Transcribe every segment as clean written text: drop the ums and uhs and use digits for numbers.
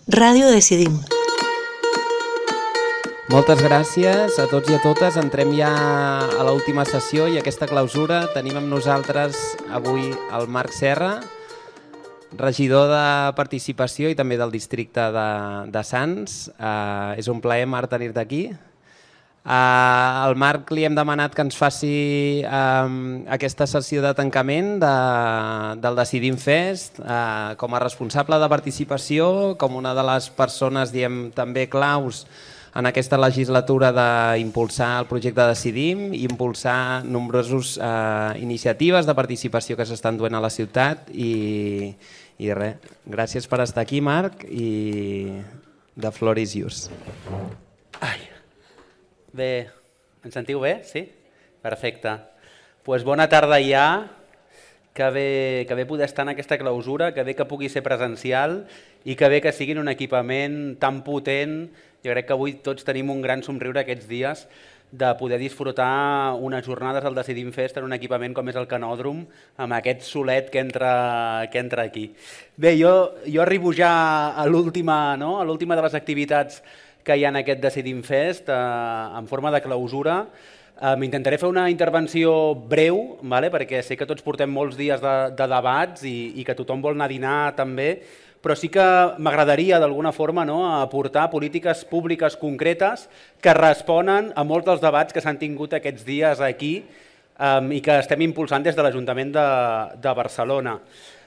Ràdio Decidim. Moltes gràcies a tots i a totes. Entrem ja a l'última sessió i aquesta clausura. Tenim amb nosaltres avui el Marc Serra, regidor de Participació i també del districte de Sants. És un plaer, Marc, tenir-te aquí. Al Marc li hem demanat que ens faci aquesta sessió de tancament del Decidim Fest com a responsable de participació, com una de les persones també claus en aquesta legislatura d'impulsar el projecte Decidim i impulsar nombroses iniciatives de participació que s'estan duent a la ciutat i res, gràcies per estar aquí, Marc, i the floor is yours. Bé, ens sentiu bé? Sí? Perfecte. Doncs bona tarda ja, que bé poder estar en aquesta clausura, que bé que pugui ser presencial i que bé que sigui un equipament tan potent. Jo crec que avui tots tenim un gran somriure aquests dies de poder disfrutar unes jornades al Decidim Fest en un equipament com és el Canòdrom, amb aquest solet que entra aquí. Bé, jo arribo ja a l'última de les activitats que hi ha en aquest Decidim Fest, en forma de clausura. Intentaré fer una intervenció breu, perquè sé que tots portem molts dies de debats i que tothom vol anar a dinar també, però sí que m'agradaria d'alguna forma aportar polítiques públiques concretes que responen a molts dels debats que s'han tingut aquests dies aquí i que estem impulsant des de l'Ajuntament de Barcelona.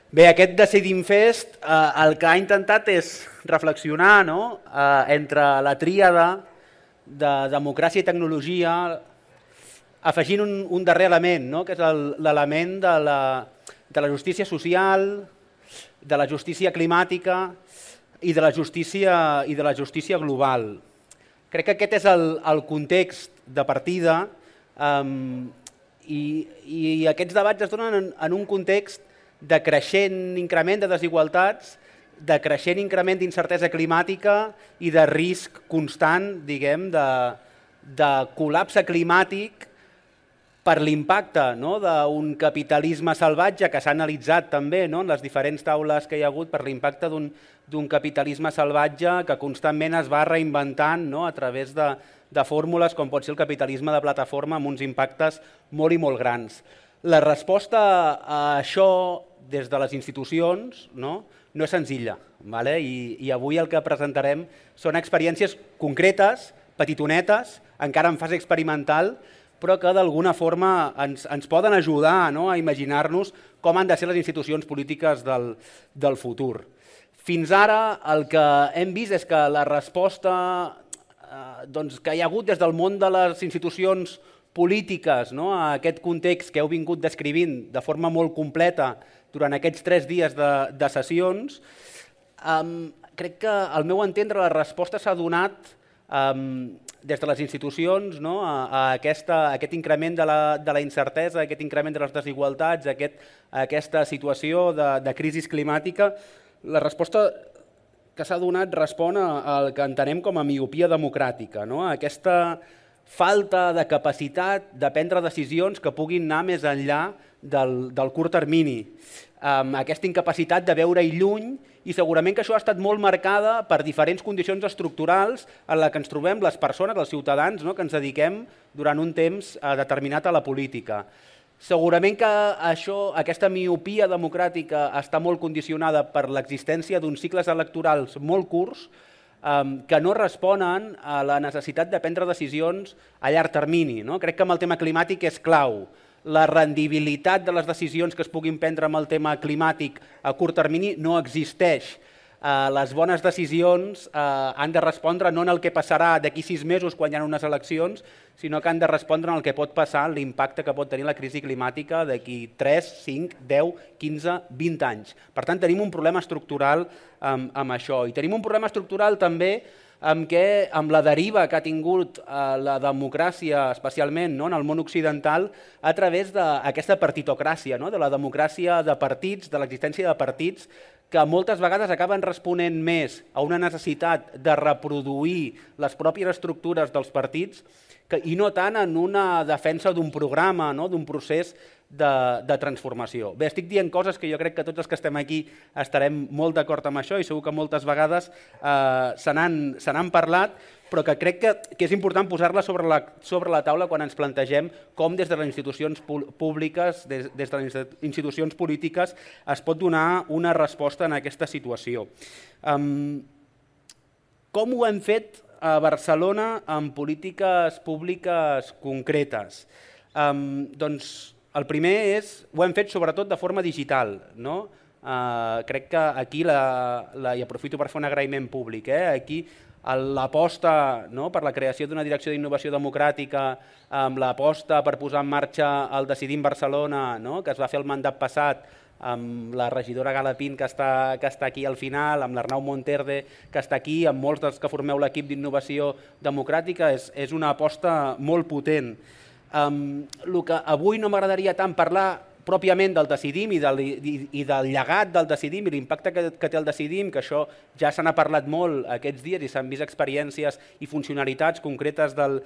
Bé, aquest Decidim Fest el que ha intentat és reflexionar entre la tríada de democràcia i tecnologia, afegint un darrer element, que és l'element de la justícia social, de la justícia climàtica i de la justícia global. Crec que aquest és el context de partida i aquests debats es donen en un context de creixent increment de desigualtats, de creixent increment d'incertesa climàtica i de risc constant, diguem, de col·lapse climàtic per l'impacte d'un capitalisme salvatge que s'ha analitzat també en les diferents taules que hi ha hagut, per l'impacte d'un capitalisme salvatge que constantment es va reinventant a través de fórmules com pot ser el capitalisme de plataforma amb uns impactes molt i molt grans. La resposta a això des de les institucions no és senzilla i avui el que presentarem són experiències concretes, petitonetes, encara en fase experimental, però que d'alguna forma ens poden ajudar a imaginar-nos com han de ser les institucions polítiques del futur. Fins ara el que hem vist és que la resposta que hi ha hagut des del món de les institucions polítiques a aquest context que heu vingut descrivint de forma molt completa durant aquests 3 dies de sessions, crec que al meu entendre la resposta s'ha donat des de les institucions a aquest increment de la incertesa, aquest increment de les desigualtats, a aquesta situació de crisi climàtica. La resposta que s'ha donat respon al que entenem com a miopia democràtica, aquesta falta de capacitat de prendre decisions que puguin anar més enllà del curt termini, aquesta incapacitat de veure-hi lluny, i segurament que això ha estat molt marcada per diferents condicions estructurals en les que ens trobem les persones, els ciutadans, que ens dediquem durant un temps determinat a la política. Segurament que aquesta miopia democràtica està molt condicionada per l'existència d'uns cicles electorals molt curts que no responen a la necessitat de prendre decisions a llarg termini. Crec que amb el tema climàtic és clau. La rendibilitat de les decisions que es puguin prendre amb el tema climàtic a curt termini no existeix. Les bones decisions han de respondre no en el que passarà d'aquí 6 mesos quan hi ha unes eleccions, sinó que han de respondre en el que pot passar, l'impacte que pot tenir la crisi climàtica d'aquí 3, 5, 10, 15, 20 anys. Per tant, tenim un problema estructural amb això. I tenim un problema estructural també amb la deriva que ha tingut la democràcia, especialment en el món occidental, a través d'aquesta partitocràcia, de la democràcia de partits, de l'existència de partits, que moltes vegades acaben responent més a una necessitat de reproduir les pròpies estructures dels partits i no tant en una defensa d'un programa, d'un procés de transformació. Bé, estic dient coses que jo crec que tots els que estem aquí estarem molt d'acord amb això i segur que moltes vegades se n'han parlat, però que crec que és important posar-la sobre la taula quan ens plantegem com des de les institucions públiques, des de les institucions polítiques, es pot donar una resposta en aquesta situació. Com ho hem fet a Barcelona amb polítiques públiques concretes? Doncs el primer ho hem fet sobretot de forma digital. Crec que aquí, i aprofito per fer un agraïment públic, aquí l'aposta per la creació d'una direcció d'innovació democràtica, amb l'aposta per posar en marxa el Decidim Barcelona, que es va fer el mandat passat, amb la regidora Galapín, que està aquí al final, amb l'Arnau Monterde, que està aquí, amb molts dels que formeu l'equip d'innovació democràtica, és una aposta molt potent. El que avui no m'agradaria tant parlar pròpiament del Decidim i del llegat del Decidim i l'impacte que té el Decidim, que això ja se n'ha parlat molt aquests dies i s'han vist experiències i funcionalitats concretes del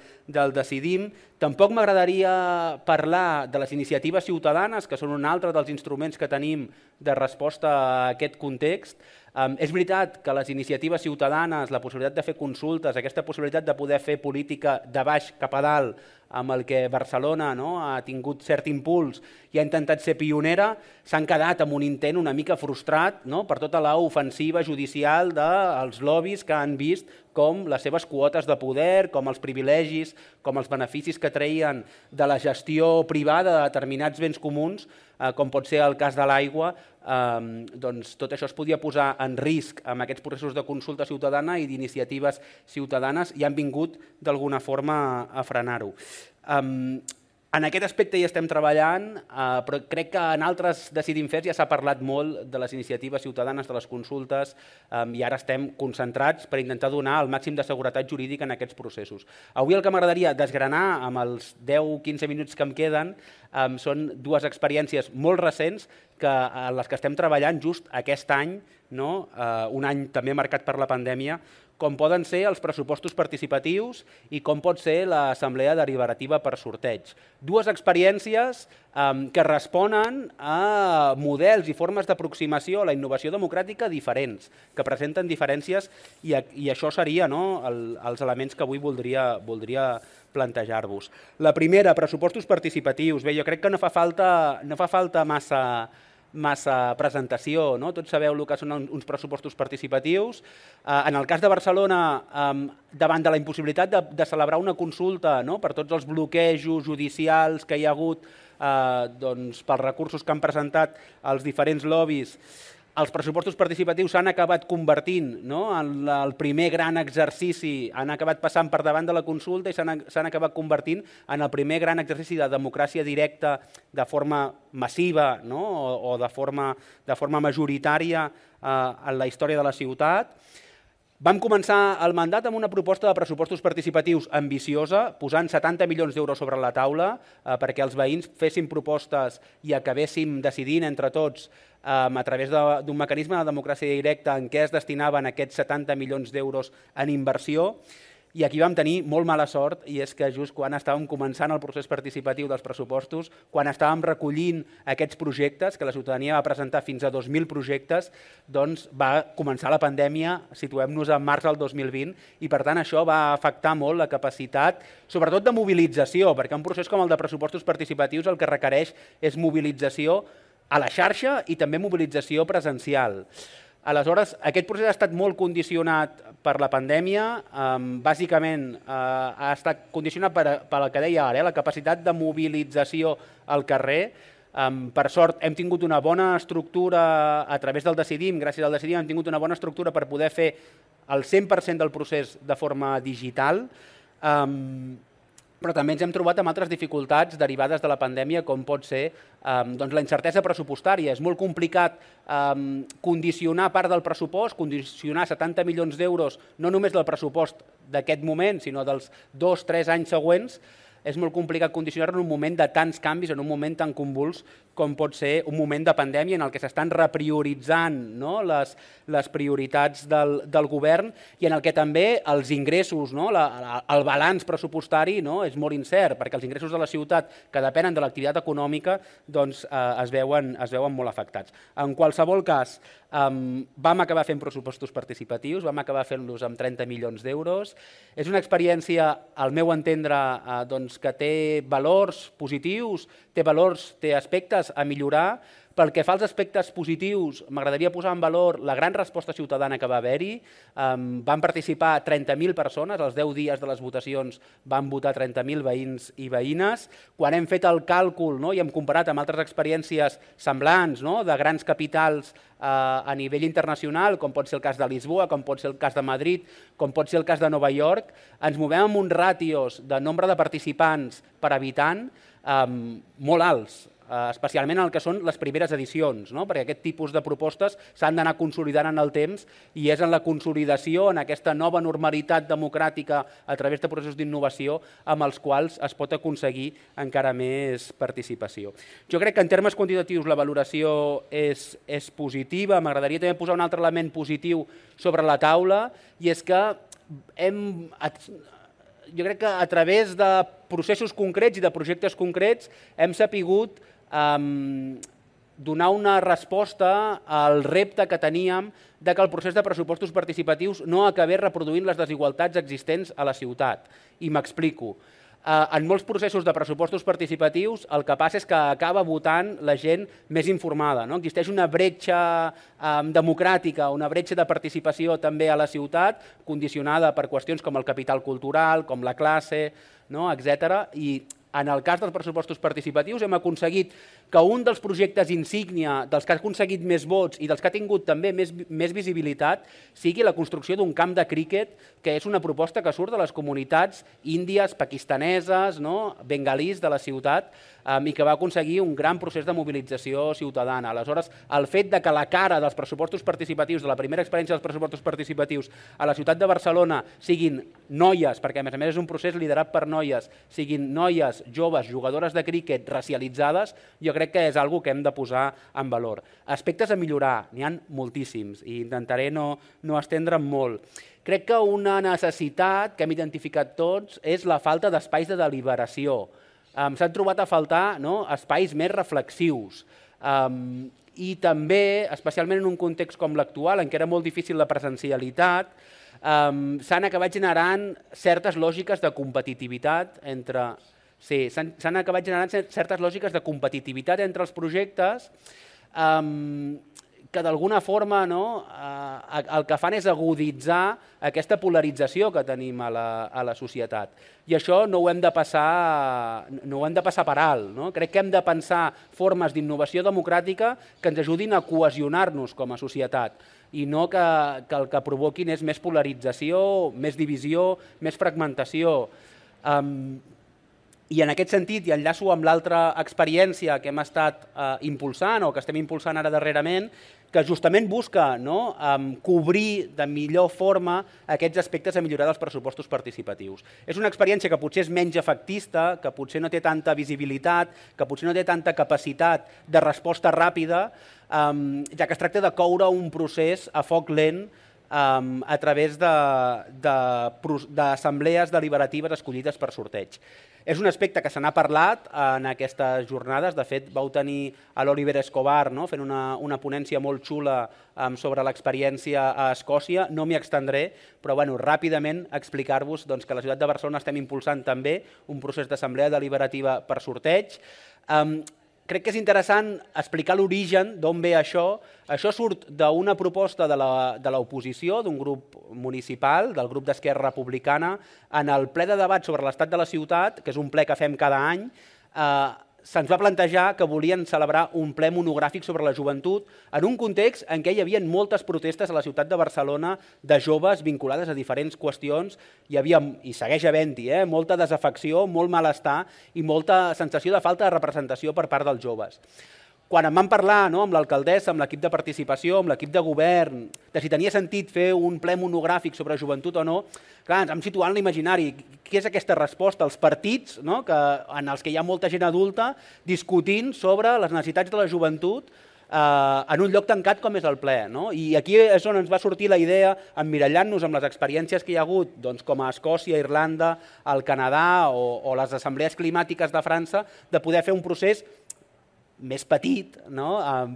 Decidim. Tampoc m'agradaria parlar de les iniciatives ciutadanes, que són un altre dels instruments que tenim de resposta a aquest context. És veritat que les iniciatives ciutadanes, la possibilitat de fer consultes, aquesta possibilitat de poder fer política de baix cap a dalt, amb el que Barcelona ha tingut cert impuls i ha intentat ser pionera, s'han quedat amb un intent una mica frustrat per tota l'ofensiva judicial dels lobbies que han vist com les seves quotes de poder, com els privilegis, com els beneficis que treien de la gestió privada de determinats béns comuns, com pot ser el cas de l'aigua, doncs tot això es podia posar en risc amb aquests processos de consulta ciutadana i d'iniciatives ciutadanes i han vingut d'alguna forma a frenar-ho. En aquest aspecte hi estem treballant, però crec que en altres Decidim Fets ja s'ha parlat molt de les iniciatives ciutadanes, de les consultes, i ara estem concentrats per intentar donar el màxim de seguretat jurídica en aquests processos. Avui el que m'agradaria desgranar amb els 10-15 minuts que em queden són dues experiències molt recents en les que estem treballant just aquest any, un any també marcat per la pandèmia, com poden ser els pressupostos participatius i com pot ser l'assemblea deliberativa per sorteig. Dues experiències que responen a models i formes d'aproximació a la innovació democràtica diferents, que presenten diferències i això seria els elements que avui voldria plantejar-vos. La primera, pressupostos participatius. Bé, jo crec que no fa falta massa presentació, tots sabeu el que són uns pressupostos participatius. En el cas de Barcelona, davant de la impossibilitat de celebrar una consulta per tots els bloquejos judicials que hi ha hagut pels recursos que han presentat els diferents lobbies, els pressupostos participatius s'han acabat convertint en el primer gran exercici, han acabat passant per davant de la consulta i s'han acabat convertint en el primer gran exercici de democràcia directa de forma massiva o de forma majoritària en la història de la ciutat. Vam començar el mandat amb una proposta de pressupostos participatius ambiciosa, posant 70 milions d'euros sobre la taula perquè els veïns fessin propostes i acabéssim decidint entre tots a través d'un mecanisme de democràcia directa en què es destinaven aquests 70 milions d'euros en inversió. I aquí vam tenir molt mala sort, i és que just quan estàvem començant el procés participatiu dels pressupostos, quan estàvem recollint aquests projectes, que la ciutadania va presentar fins a 2.000 projectes, doncs va començar la pandèmia, situem-nos en març del 2020, i per tant això va afectar molt la capacitat, sobretot de mobilització, perquè un procés com el de pressupostos participatius el que requereix és mobilització a la xarxa i també mobilització presencial. Aleshores, aquest procés ha estat molt condicionat per la pandèmia, bàsicament ha estat condicionat per el que deia ara, la capacitat de mobilització al carrer. Per sort hem tingut una bona estructura a través del Decidim, gràcies al Decidim hem tingut una bona estructura per poder fer el 100% del procés de forma digital, però també ens hem trobat amb altres dificultats derivades de la pandèmia, com pot ser la incertesa pressupostària. És molt complicat condicionar part del pressupost, condicionar 70 milions d'euros, no només del pressupost d'aquest moment, sinó dels 2-3 anys següents. És molt complicat condicionar-lo en un moment de tants canvis, en un moment tan convuls com pot ser un moment de pandèmia en el que s'estan reprioritzant, no?, les prioritats del govern i en el que també els ingressos, no?, el balanç pressupostari, no?, és molt incert, perquè els ingressos de la ciutat que depenen de l'activitat econòmica doncs, es veuen molt afectats. En qualsevol cas, vam acabar fent pressupostos participatius, vam acabar fent-los amb 30 milions d'euros. És una experiència, al meu entendre, doncs, que té valors positius, té aspectes a millorar. Pel que fa als aspectes positius, m'agradaria posar en valor la gran resposta ciutadana que va haver-hi. Van participar 30.000 persones, als 10 dies de les votacions van votar 30.000 veïns i veïnes. Quan hem fet el càlcul, no?, i hem comparat amb altres experiències semblants, no?, de grans capitals a nivell internacional, com pot ser el cas de Lisboa, com pot ser el cas de Madrid, com pot ser el cas de Nova York, ens movem amb uns ràtios de nombre de participants per habitant molt alts, especialment en el que són les primeres edicions, no?, perquè aquest tipus de propostes s'han d'anar consolidant en el temps i és en la consolidació, en aquesta nova normalitat democràtica a través de processos d'innovació amb els quals es pot aconseguir encara més participació. Jo crec que en termes quantitatius la valoració és positiva. M'agradaria també posar un altre element positiu sobre la taula i és que jo crec que a través de processos concrets i de projectes concrets hem sapigut donar una resposta al repte que teníem de que el procés de pressupostos participatius no acabés reproduint les desigualtats existents a la ciutat. I m'explico. En molts processos de pressupostos participatius el que passa és que acaba votant la gent més informada. Existeix una bretxa democràtica, una bretxa de participació també a la ciutat, condicionada per qüestions com el capital cultural, com la classe, etc. I en el cas dels pressupostos participatius hem aconseguit que un dels projectes insígnia, dels que ha aconseguit més vots i dels que ha tingut també més visibilitat, sigui la construcció d'un camp de críquet, que és una proposta que surt de les comunitats índies, pakistaneses, bengalís de la ciutat, i que va aconseguir un gran procés de mobilització ciutadana. Aleshores, el fet de que la cara dels pressupostos participatius, de la primera experiència dels pressupostos participatius a la ciutat de Barcelona siguin noies, perquè a més és un procés liderat per noies, siguin noies, joves, jugadores de críquet racialitzades, jo crec que és una cosa que hem de posar en valor. Aspectes a millorar, n'hi ha moltíssims i intentaré no estendre'm molt. Crec que una necessitat que hem identificat tots és la falta d'espais de deliberació. S'han trobat a faltar espais més reflexius i també, especialment en un context com l'actual, en què era molt difícil la presencialitat, s'han acabat generant certes lògiques de competitivitat entre... Sí, s'han acabat generant certes lògiques de competitivitat entre els projectes que d'alguna forma el que fan és aguditzar aquesta polarització que tenim a la societat. I això no ho hem de passar per alt. Crec que hem de pensar formes d'innovació democràtica que ens ajudin a cohesionar-nos com a societat i no que el que provoquin és més polarització, més divisió, més fragmentació. I en aquest sentit, i enllaço amb l'altra experiència que hem estat impulsant o que estem impulsant ara darrerament, que justament busca cobrir de millor forma aquests aspectes a millorar dels pressupostos participatius. És una experiència que potser és menys efectista, que potser no té tanta visibilitat, que potser no té tanta capacitat de resposta ràpida, ja que es tracta de coure un procés a foc lent a través d'assemblees deliberatives escollides per sorteig. És un aspecte que se n'ha parlat en aquestes jornades. De fet, vau tenir l'Oliver Escobar fent una ponència molt xula sobre l'experiència a Escòcia. No m'hi extendré, però ràpidament explicar-vos que a la ciutat de Barcelona estem impulsant també un procés d'assemblea deliberativa per sorteig. Crec que és interessant explicar l'origen d'on ve això. Això surt d'una proposta de l'oposició, d'un grup municipal, del grup d'Esquerra Republicana, en el ple de debat sobre l'estat de la ciutat, que és un ple que fem cada any. Se'ns va plantejar que volien celebrar un ple monogràfic sobre la joventut en un context en què hi havia moltes protestes a la ciutat de Barcelona de joves vinculades a diferents qüestions. Hi havia, i segueix havent-hi, molta desafecció, molt malestar i molta sensació de falta de representació per part dels joves. quan em van parlar amb l'alcaldessa, amb l'equip de participació, amb l'equip de govern, de si tenia sentit fer un ple monogràfic sobre joventut o no, clar, ens vam situar en l'imaginari. Què és aquesta resposta? Els partits en els que hi ha molta gent adulta discutint sobre les necessitats de la joventut en un lloc tancat com és el ple. I aquí és on ens va sortir la idea, emmirallant-nos amb les experiències que hi ha hagut com a Escòcia, Irlanda, el Canadà o les assemblees climàtiques de França, de poder fer un procés més petit,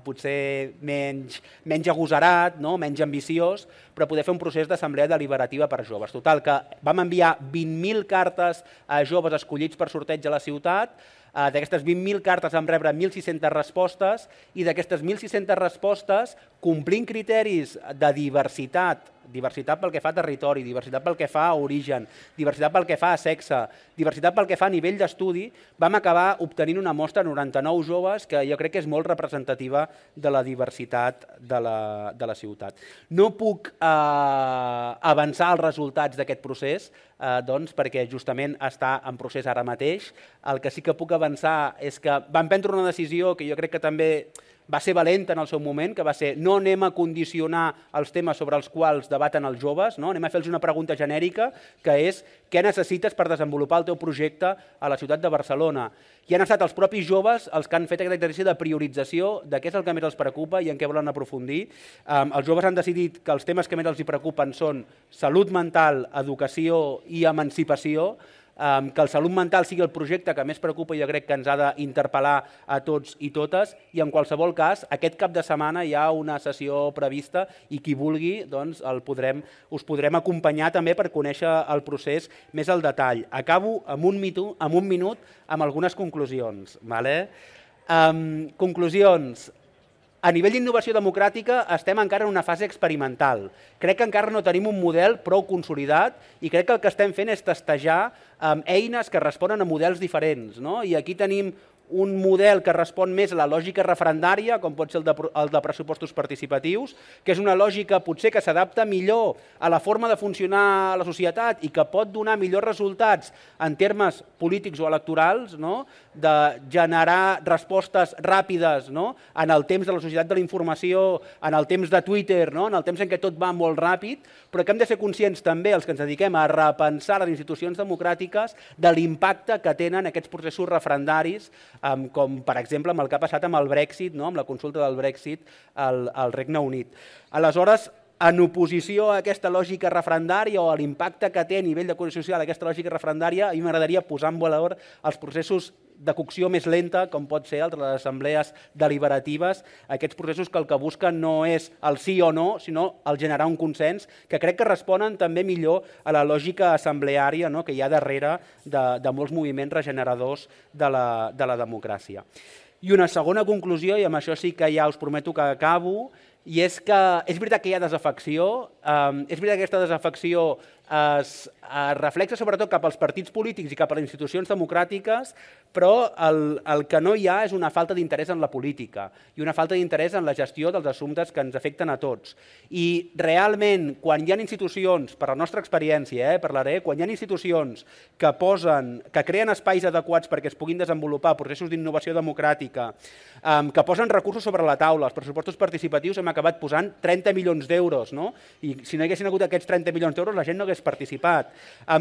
potser menys agosarat, menys ambiciós, però poder fer un procés d'assemblea deliberativa per joves. Total, que vam enviar 20.000 cartes a joves escollits per sorteig a la ciutat. D'aquestes 20.000 cartes vam rebre 1.600 respostes i d'aquestes 1.600 respostes, complint criteris de diversitat, diversitat pel que fa a territori, diversitat pel que fa a origen, diversitat pel que fa a sexe, diversitat pel que fa a nivell d'estudi, vam acabar obtenint una mostra de 99 joves que jo crec que és molt representativa de la diversitat de la ciutat. No puc avançar els resultats d'aquest procés, perquè justament està en procés ara mateix. El que sí que puc avançar és que vam prendre una decisió que jo crec que també va ser valenta en el seu moment, que va ser no anem a condicionar els temes sobre els quals debaten els joves, anem a fer-los una pregunta genèrica, que és què necessites per desenvolupar el teu projecte a la ciutat de Barcelona. I han estat els propis joves els que han fet aquest exercici de priorització de què és el que més els preocupa i en què volen aprofundir. Els joves han decidit que els temes que més els preocupen són salut mental, educació i emancipació, que el salut mental sigui el projecte que més preocupa i jo crec que ens ha d'interpel·lar a tots i totes, i en qualsevol cas aquest cap de setmana hi ha una sessió prevista i qui vulgui us podrem acompanyar també per conèixer el procés més al detall. Acabo amb un minut amb algunes conclusions. Conclusions. A nivell d'innovació democràtica estem encara en una fase experimental. Crec que encara no tenim un model prou consolidat i crec que el que estem fent és testejar eines que responen a models diferents. I aquí tenim un model que respon més a la lògica referendària, com pot ser el de pressupostos participatius, que és una lògica potser que s'adapta millor a la forma de funcionar a la societat i que pot donar millors resultats en termes polítics o electorals, de generar respostes ràpides en el temps de la societat de la informació, en el temps de Twitter, en el temps en què tot va molt ràpid, però que hem de ser conscients també, els que ens dediquem a repensar les institucions democràtiques, de l'impacte que tenen aquests processos referendaris, com per exemple amb el que ha passat amb el Brexit, amb la consulta del Brexit al Regne Unit. Aleshores, en oposició a aquesta lògica referendària o a l'impacte que té a nivell de cohesió social aquesta lògica referendària, a mi m'agradaria posar en valor els processos de cocció més lenta, com pot ser el de les assemblees deliberatives, aquests processos que el que busquen no és el sí o no, sinó el generar un consens, que crec que responen també millor a la lògica assembleària que hi ha darrere de molts moviments regeneradors de la democràcia. I una segona conclusió, i amb això sí que ja us prometo que acabo, i és que és veritat que hi ha desafecció, és veritat que aquesta desafecció es reflexa sobretot cap als partits polítics i cap a les institucions democràtiques, però el que no hi ha és una falta d'interès en la política i una falta d'interès en la gestió dels assumptes que ens afecten a tots. I realment, quan hi ha institucions, per la nostra experiència, parlaré, quan hi ha institucions que creen espais adequats perquè es puguin desenvolupar processos d'innovació democràtica, que posen recursos sobre la taula, els pressupostos participatius hem acabat posant 30 milions d'euros, i si no hi haguessin hagut aquests 30 milions d'euros la gent no hagués participat.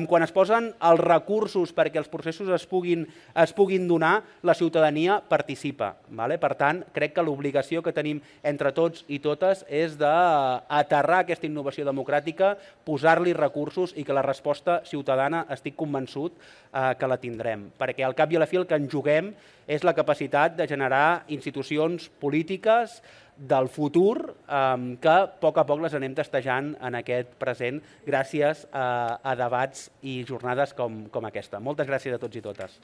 Quan es posen els recursos perquè els processos es puguin donar, la ciutadania participa. Per tant, crec que l'obligació que tenim entre tots i totes és d'aterrar aquesta innovació democràtica, posar-li recursos i que la resposta ciutadana estic convençut que la tindrem. Perquè al cap i a la fi el que ens juguem és la capacitat de generar institucions polítiques del futur que a poc les anem testejant en aquest present gràcies a debats i jornades com aquesta. Moltes gràcies a tots i totes.